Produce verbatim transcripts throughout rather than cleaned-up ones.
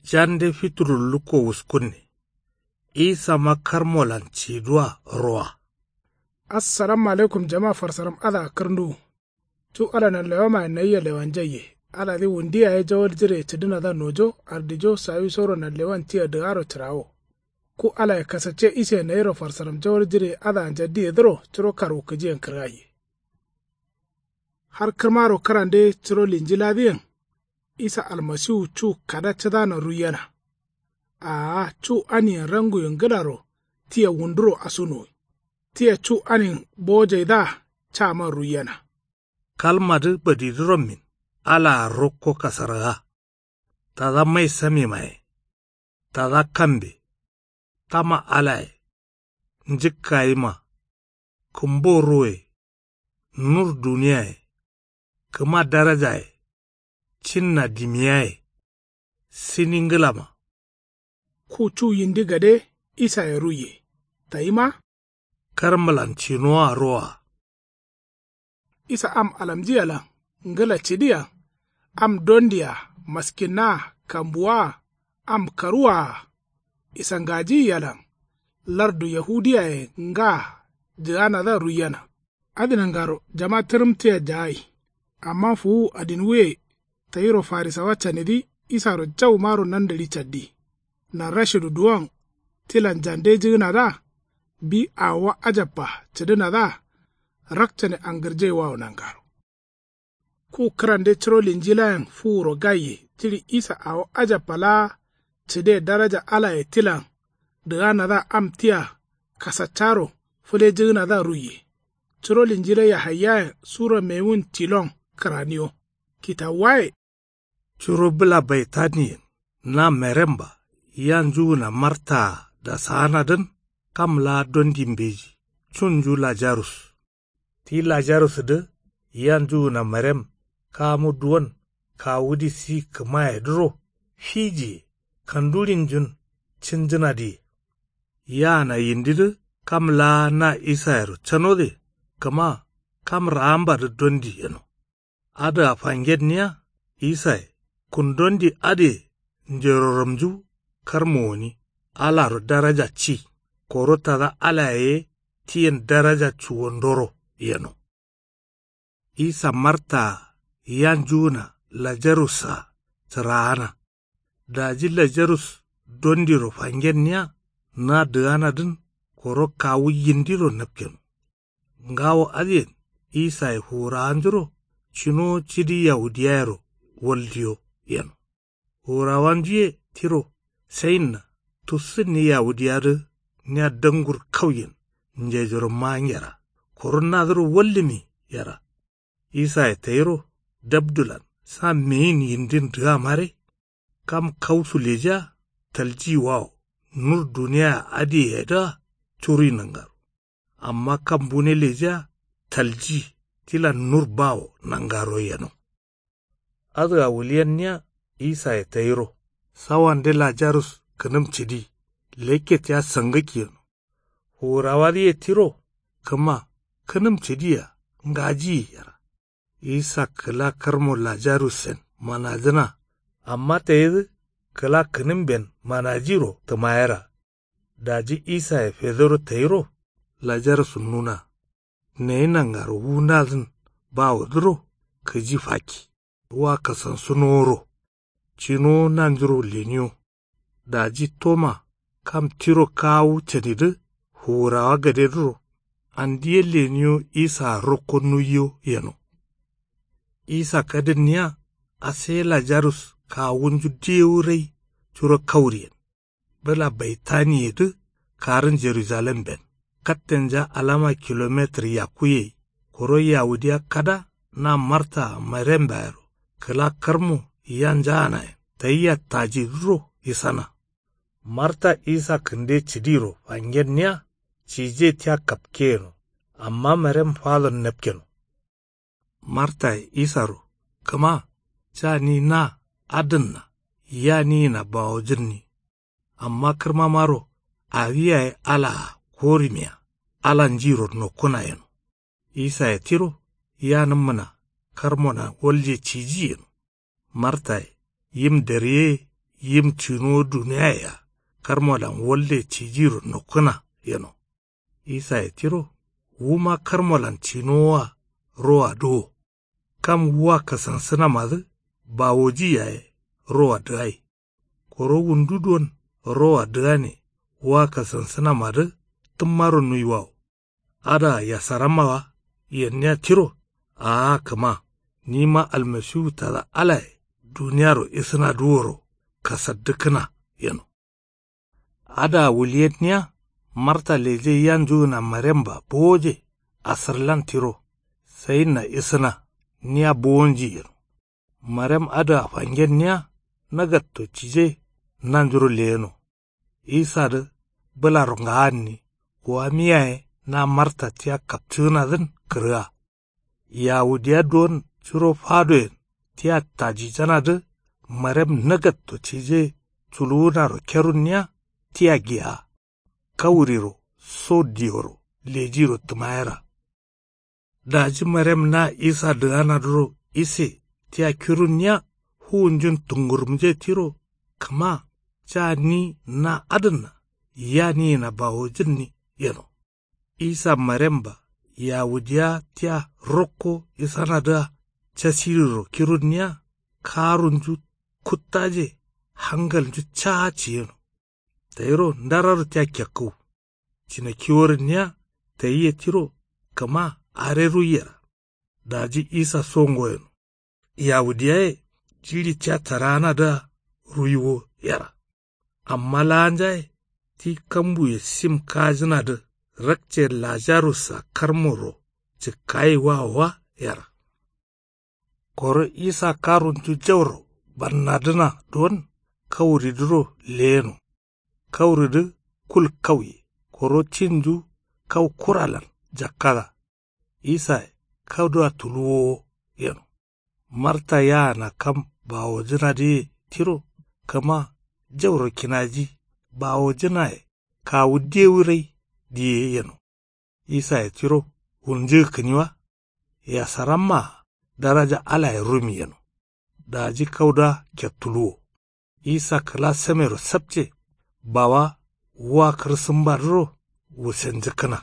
Jande fiturur lukko wuskunne. Isama karmolan ciduwa rowa. Assalamu alaikum jama farsaram adǝa kǝrnduwu. Cu ala nanlewamaye nayia lewanjaiye. Aladǝ wundu yaye jawal jire cǝdǝnadǝa nojo ardijo sawisoro nanlewan tia dǝgaro cǝrawo. Ku alaye kasacce ise nayiro farsaram jawal jire adǝa njaddiyedǝro curo karwukǝjiyen kǝrgaiye. Har kǝrmaro kǝrande curo linjiladǝyen. Isa almasiwu cu kada cǝdano ruiyena. Aa cu aniyen ranguye ngǝlaro tia wunduro asunuwi. Tia cu anin bowojaidǝa caman ruiyena. Kalmadǝ badidǝ rommin alaa rokko kasaraga. Tada mai samimaye. Tada kambe. Tama alaye. Njǝkkayima. Kǝmbo ruwoye. Nur duniyaye. Kǝma darajaye. Cinna dimiyaye. Sini ngǝlama. Ku cu yindi gade isaye ruiye. Tayima. Karmǝlan cinoa roa. Isa am alamjiyalan ngǝla cidiya. Am dondiya maskinna kambuwa. Am karuwa. Isangajiyiyalan lardu yahudiyaye nga jǝganadǝa ruiyena. Adǝ nangaro jama tǝrǝm tia jagai. Amma fuwu adinwuye tayiro farisawa canidǝ isaro jaumaro nandǝɍi caddi. Narrashidu duwon tilan jande jǝgǝnadǝa. Bi awowa ajabba cǝdǝnadǝa. Rakcane angǝrjaiwawo nangaro. Ku kǝrande curo linjilayen fuwuro gaiye jiɍi isa awo ajabba laa cǝde daraja alaye tilan dǝganadǝa am tia kasaccaro fǝlejǝgǝnadǝa ruiye. Curo linjila yahaiyayen sura mewun tilon kǝraniyo. Kitawuwaye. Curo bǝla baitaniyen na meremba yanjugǝna martaa dasaanadǝn kam laa dondi mbeji cunju lajarus. Ti lajarusdǝ yanjugǝna merem kamu duwon kawudi si kǝmayedǝro fijiye kanduɍinjun cinjǝnadǝye. Yaana yindidǝ kam laa na isayero canode kǝma kam raambadǝ dondi yeno. Adǝa fangenniya isaye kun dondi adǝye njero ramju karmo gǝni alaro daraja ci koro tada alaye ye tiyen daraja cuwondoro yeno. Isa martaa yanjugǝna lajarussa cǝraana. Daji lajarus dondiro fangenniya na dǝganadǝn koro kawu yindiro napkeno. Ngawo adǝyen isaye fuwurawanjuro cinowo cidi yahudiyayero waldiyo yeno. Fuwurawanjuye tiro sayinna tussǝnni yahudiyadǝ nia dangur kauyen njejoro mangera koro nadǝro wallǝmi yera. Isaye tayiro dabdulan sa meyin yindin dǝgamare. Kam kausu lejiya taljiyiwawo nur duniyaya adǝyeyedǝa curui nangaro. Amma kam bune lejiya talji tilan nur bawo nangaro yeno. Adǝa wulyenniya isaye tayiro sawande lajarus kǝnǝm cǝdi lekke tia sangǝkki yeno. Fuwurawadǝye tiro kǝma kǝnǝm cǝdiya ngajiyi yera. Isa kǝla karmo lajarussen manajǝna amma tayidǝ kǝla kǝnǝmben manajiro tǝmayera. Daji isaye fedoro tayiro lajarus nuna. Nayi nangaro wu nadǝn bawodǝro kǝji fakki wa kasansunoworo. Cinowo nanjuro leniyo. Daji toma kam tiro kawu canidǝ fuwurawa gadedǝro andi ye leniyo isaa rokko nuiyo yeno. Isa kadǝnniya ase lajarus kawunju dewu rai curo kauriyen. Bǝla baitaniyedǝ karǝn jerujalemben kattenja alama kilometǝr yakkuye. Koro yawudiya kada na martaa marembayero kǝla karmo yanjaanayen tayia tajidǝro isana. Marta isa kǝnde cǝdiro fangenniya cije tia kapke yeno. Amma marem fadon napkeno. Martaye isaro kǝma ca ni na adǝnna ya niyina bawojǝnni. Amma kǝrmamaro awi yaye alaa korimiya ala njiro nokkuna yeno. Isaye tiro yanǝmmǝna karmona walje ciji yeno. Martaye yim dariye yim cǝnowo duniyaye-a karmolan walde cijiro nokkǝna yeno. Isaye tiro wuma karmolan cǝnowoa roa dǝwo. Kam wua kasansǝnamadǝ bawoji yaye roa dǝgai. Koro wundu duwon roa dǝgane wua kasansǝnamadǝ tǝmmaro nuiwawo. Adǝa yasaramma wa yenniya tiro. A'a kǝma nima almasiwu tada alaye duniyaro isǝnadǝ woro kasaddǝkkǝna yeno. Adǝa wulyenniya marta leje yanjugǝna maremba bowoje asǝrlan tiro sayinna isǝna niya bowonji yeno. Marem adǝa fangenniya nagatto cije nanjuro leyeno. Isadǝ bǝlaro ngaanni wamiyaye na marta tia kapcǝgǝnadǝn kǝrga. Yawudiya duwon curo fadoyen tia tajijanadǝ marem nagatto cije culuwunaro kerunniya tia giya. Kauriro so dioro lejiro tǝmayera. Daji marem na isa dǝganadǝro ise tia kirunniya fuwunjun tungurumje tiro kǝma ca ni na adǝnna yaniyena bawojǝnni yeno. Isa maremba yawudiya tia rokko isanadǝa casiriro kirunniya karunju kuttaje hangalnju caa ciyeno. Tayiro ndararo tia kekkǝw. Cinakiworǝnniya tayiye tiro kǝma are ruiyera. Daji isa so ngoyeno. Yawudiyaye jiɍi tia taraanadǝa ruiwo yera. Amma laanjaye ti kambuye sim kaajǝnadǝ rakce lajarussa karmoro cǝkkayiwawo wa yera. Koro isa karunju jauro bannadǝna duwon kauridǝro leyeno. Kauridǝ kul kauye koro cinju kau kuralan jakkada. Isaye kaudǝa tuluwowo yeno. Marta yaana kam bawojǝnadǝye tiro kǝma jauro kinaji bawojǝnaye kawu dewu rai diye yeno. Isaye tiro wulnjǝgǝkkǝni wa. Yasarammaa daraja alaye rumi yeno. Daji kaudǝa kettuluwo. Isa kǝla samero sapce bawa wua kǝrsǝmbadǝro wusenjǝkkǝna.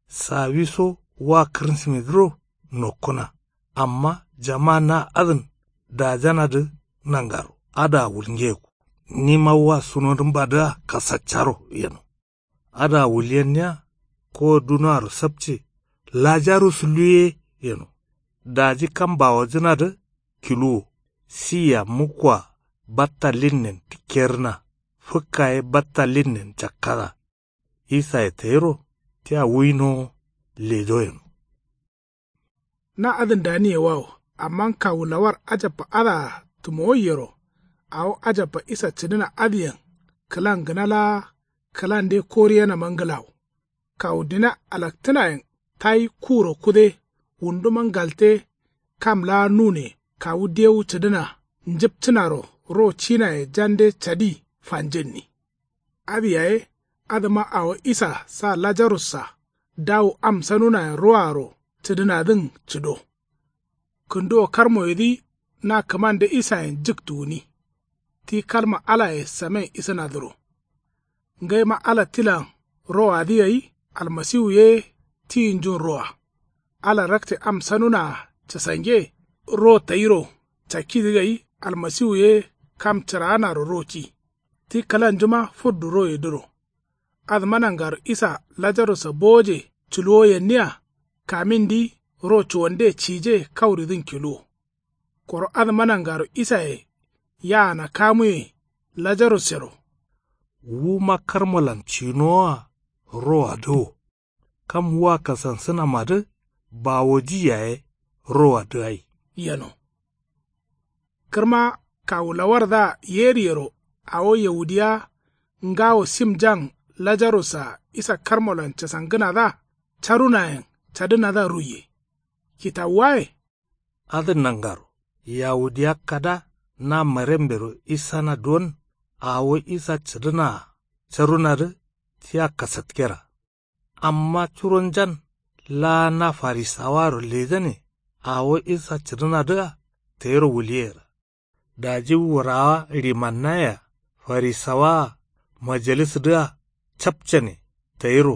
Sawiso wua kǝrsǝmidǝro nokkǝna. Amma jama na adǝn dajanadǝ nangaro adǝa wulngeyeku. Nima wua sunodǝmbadǝa kasaccaro yeno. Adǝa wulyenniya kowo dunoaro sapce lajarus luye yeno. Daji kam bawojǝnadǝ kiluwo. Siya mukkoa batta lilnen tikkerǝna. Fǝkka ye batta lilnen cakkada. Isaye tayiro tia wuinowo lejo yeno. Na adǝn daniyewawo amma kawu lawar ajabba adǝa tǝmowaiyero. Awo ajabba isa cǝdǝna adǝyen kǝlan gǝna laa kǝlande koriyenama ngǝlawo. Kawu dina alaktǝnayen tayi kuro kude wunduma ngalte kam laa nune kawu dewu cǝdǝna njǝpcǝnaro ro cinaye jande cadi fanjǝnni. Adǝ yaye adǝma awo isa sa lajarussa dawu am sanunayen roaro cǝdǝnadǝn cǝdo. Kǝnduwo karmoyedǝ na kǝmande isayen jǝktu gǝni. Ti kalma alaye samen isǝnadǝro. Ngaima ala tilan roadǝ gai almasiwu ye tiyinjun roa. Ala rakce am sanunaa casange ro tayiro cakkidǝ gai almasiwu ye kam cǝraanaro ro ci. Ti kǝlanjuma fǝddu royedǝro. Adǝma nangaro isa lajarussa bowoje culuwoyenniya kamindǝ ro cuwande cije kauridǝn kiluwo. Koro adǝma nangaro isaye yaana kamuye lajarussero. Wuma karmolan cinowoa roadǝ wo. Kam wua kasansǝnamadǝ bawoji yaye roadǝ gai yeno. Kǝrma kawu lawarda yeriyero awo yawudiya ngawo simjan lajarussa isa karmolan casangǝnadǝa carunayen cadǝnadǝa ruiye. Kitawuwaye. Adǝ nangaro yawudiya kada na marembero isana duwon awo isa cǝdǝnaa carunadǝ tia kasatkera. Amma curonjan laa na farisawaro lejane awo isa cǝdǝnadǝa tayiro wuliyera. Daji wurawa ɍimannayea Farisawaa majalisdǝa capcane tayiro.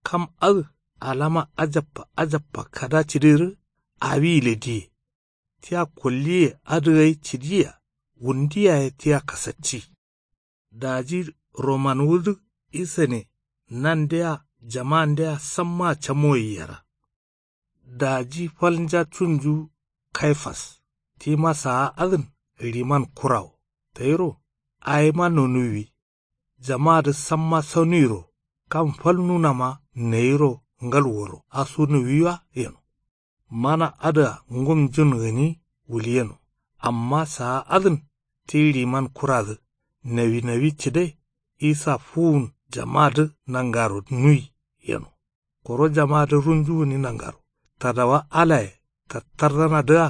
Kam adǝ alama ajabba ajabba kada cidǝgǝrǝ awi gǝle diye. Tia kolliye adǝ gai cidiya. Wundi yaye tia kasacci. Daji romanwudǝ isane nandea jama'andea sammaa camoyi yera. Daji falnja cunju kaifas tima saa adǝn riman kurawo tayiro awima nonuwwi. Jama'adǝ samma sanuwiro kam falnunama nayiro ngalworo asunuwwi wa yeno. Mana adǝa ngumjun gǝni wulyeno. Amma saa adǝn ti riman kuradǝ nawinawwi cǝde isa fuwun jama'adǝ nangaro nuwi yeno. Koro jama'adǝ runju gǝni nangaro tadawa alaye tattardanadǝa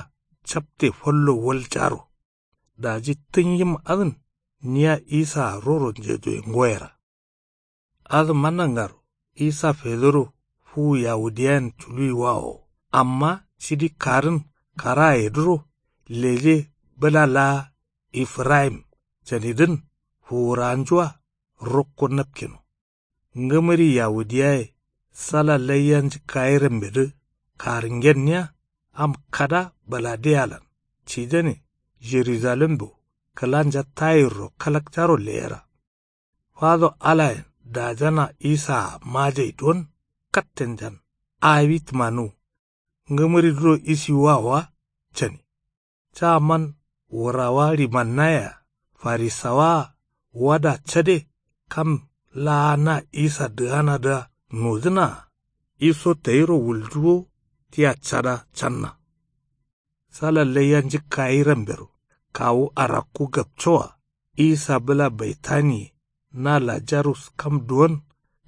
capte fallo waljaro. Daji tǝnyim adǝn niya isaa roro njejoye ngoyera. Adǝma nangaro isa fedoro fuwu yawudiyayen culuwi wawo. Amma cidi karǝn karayedǝro leje bǝla laa ifirayim canidǝn fuwurawanjua rokko napkeno. Ngǝmǝri yawudiyaye sala laiya njǝkkayi rambedǝ karǝngenniya am kada baladeyalan cijane jerujalemdo kǝlanja tayirro kalakcaro leyera. Fado alayen dajana isaa majai don kattenjan awi tǝmanuwu. Ngǝmǝridǝro isiwuwa wa cani. Caman wurawa rimannayea farisawaa wada cade kam laa na isa dǝganadǝa nodǝnaa iso tayiro wuljuwo tia cada canna. Sala laiya njǝkkayi rambero kawu arakku gapcoa isa bǝla baitaniye na lajarus kam duwon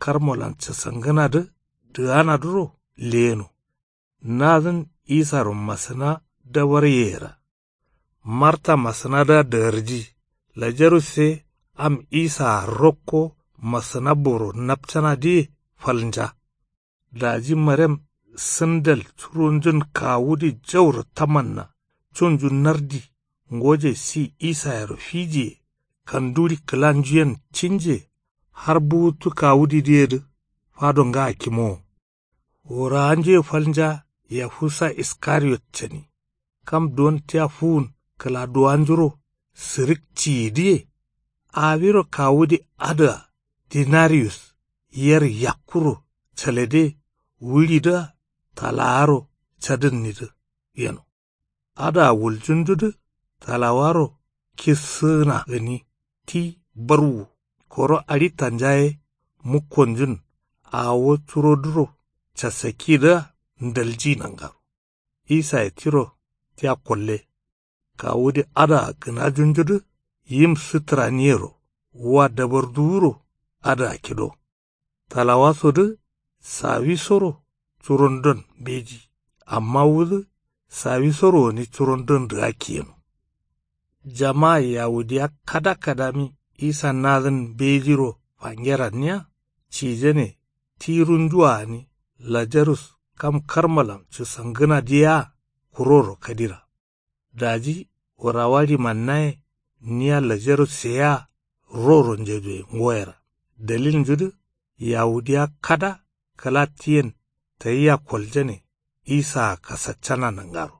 karmolan casangǝnadǝ dǝganadǝro leyeno. Nadǝn isaro masǝna dabar yeyera. Marta masǝnadǝa dǝgarji lajarus ye am isaa rokko masǝna boro napcanadǝye falnja. Daji marem sǝndal curonjun kawudǝ jauro tamanna cunju nardi ngoje si isayero fijiye kanduri kǝlanjuyen cinje har buwuttu kawudidǝyedǝ fado nga kimowo. Wurawanjuye falnja yahusa iskariyot cani. Kam duwon tia fuwun kǝladuwanjuro sǝrǝk ciyidǝye. Awiro kawudi adǝa dinariyus yer yakkuro calede wulidǝa talawaro cadǝnnidǝ yeno. Adǝa wuljunjudǝ talawaro kissǝgǝna gǝni ti barwu koro aɍitanja ye mukkonjun awo curodǝro casakkidǝa ndalji nangaro. Isaye tiro tia kolle. Kawudi adǝa gǝnajunjudǝ yim sǝtǝraniyero wa dabarduwuro adǝa kido. Talawasodǝ sawisoro curondon mbeji amma wudǝ sawisoro gǝni curondon dǝgakki yeno. Jama yawudiya kada kadami isa nadǝn mbejiro fangeranniya cijane ti runjua gǝni lajarus kam karmalan cǝsangǝnadǝ yea kuroro kadira. Daji wurawa rimannaye niya lajarus seyea roro njejoye ngoyera dalilnjudǝ yawudiya kada kǝla tiyen tayia koljane isaa kasaccana nangaro.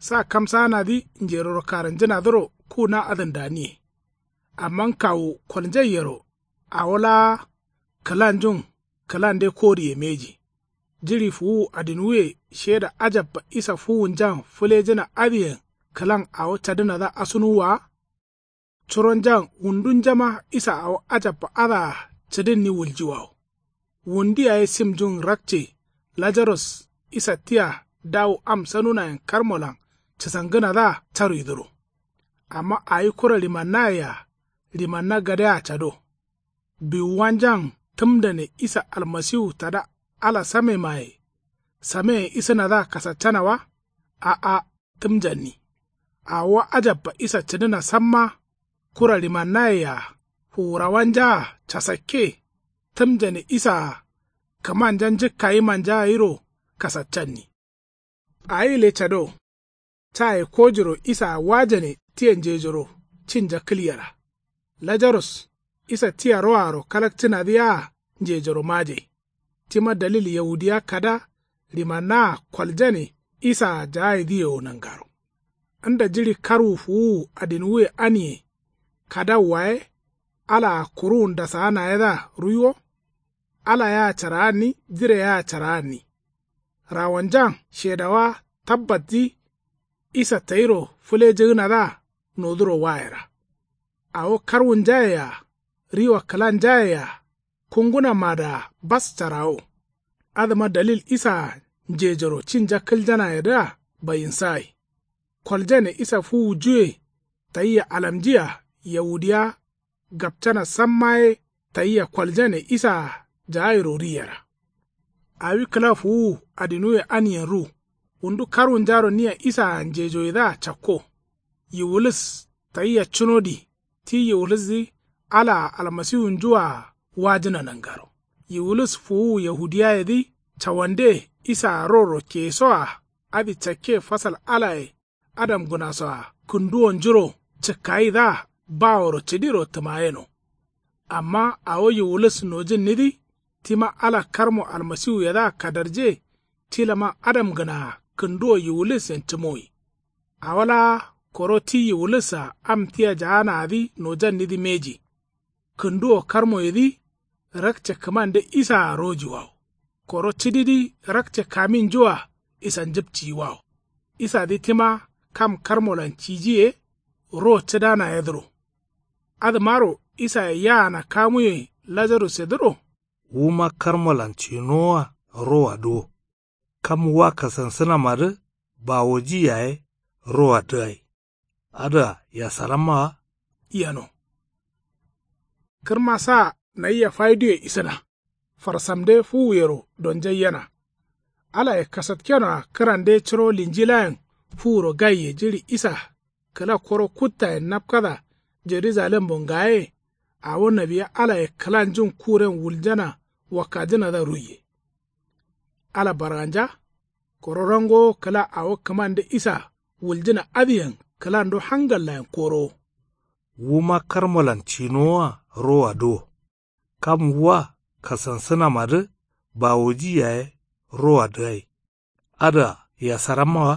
Sa kamsaanadǝ njeroro karǝnjǝnadǝro ku na adǝn daniye. Amma kawu kolnjaiyero awo laa kǝlanjun kǝlande koriye mbeji. Jiɍi fuwuwu adinwuye sheda ajabba isa fuwunjan fǝlejǝna adǝyen kǝlan awo cadǝnadǝa asunuwwa wa. Curonjan wundunjama isa awo ajabba adǝa cǝdǝnni wuljiwawo. Wundi yaye simjun rakce lajarus isa tia dawu am sanunayen karmolan cǝsangǝnadǝa caruidǝro. Amma awi kura ɍimannayea ɍimanna gadea cado. Biwuwanjan tǝmdane isa almasiwu tada ala samemaye sameyen isǝnadǝa kasaccana wa? A'a. Tǝmjanni. Awo wa ajabba isa cǝdǝna samma kura ɍimannayea fuwurawanjaa casakke tǝmjane isaa kǝmanja njǝkkayimanjaa gairo kasaccanni. Awi gǝle cado. Caye kojiro isaa wajane tiye njejoro cinja kǝlyera. Lajarus, isa tia roaro kalakcǝnadǝ yea njejoro majai. Tima dalil yaudiya kada ɍimannaa koljane isaa jaayidǝyeo nangaro. Nda jiɍi karwu fuwuwu adinuwuye aniye kadawwa ye. Alaa kuruwun dasaanayedǝa ruiwo. Ala yea caraanni jire yea caraanni. Rawonjan shedawa tabbatdǝ isa tayiro fǝlejǝgǝnadǝa noduro wayera. Awo karwunjaye-a riwa kǝlanjaye-a kungunamadǝa bas carawo. Adǝma dalil isaa njejoro cinja kǝljanayedǝa bayinsagai. Koljane isa fuwujuwe tayia alamjiya yaudiya gapcana samma ye tayia koljane isaa jaayiro riyera. Awi kǝla fuwuwu adinuwe aniyen ru. Wundu karwunjaro nia isaa njejoyedǝa cakko. Yiwulis tayia cunodi ti yiwulisdǝ alaa almasiwunjua wajǝna nangaro. Yiwulis fuwuwu yahudiyayedǝ cawande isaa roro keyesoa adǝ cakke fasal alaye adamgǝnasoa kǝnduwonjuro cǝkkayidǝa baworo cǝdiro tǝmayeno. Amma awo yiwulis nojǝnnidǝ tima ala karmo almasiwuyedǝa kadarje. Ti lama adamgǝnaa kǝnduwo yiwulissen cǝmowi. Awo laa koro ti yiwulis-a am tia jaanaadǝ nojannidǝ mbeji. Kǝnduwo karmoyedǝ rakce kǝmande isaa rojiwawo. Koro cǝdidǝ rakce kaminjua isanjǝpciyiwawo. Isadǝ tima kam karmolan ciji ye ro cǝdanayedǝro. Adǝmaro isaye yaana kamuye lajarusedǝro. Wuma karmolan cinowoa roadǝ wo. Kam wa kasansǝnamadǝ bawoji yaye roadǝ gai. Adǝa yasaramma wa? Yeno. Kǝrma sa nayia fayiduye isǝna. Farsamde fuwuyero donjaiyena. Alaye kasatkenoa kǝrande curo linjilayen fuwuro gaiye jiɍi isa kǝla koro kuttayen napkada jerujalembo ngaye. Awo nawiya alaye kǝlanjun kuren wuljana wakkajǝnadǝa ruiye. Ala barganja koro rangowo kǝla awo kǝmande isa wuljǝna adǝyen kǝlando hangallayen korowo. Wuma karmolan cinowoa roadǝ wo. Kam wa kasansǝnamadǝ bawoji yaye roadǝ gai. Adǝa yasaramma wa?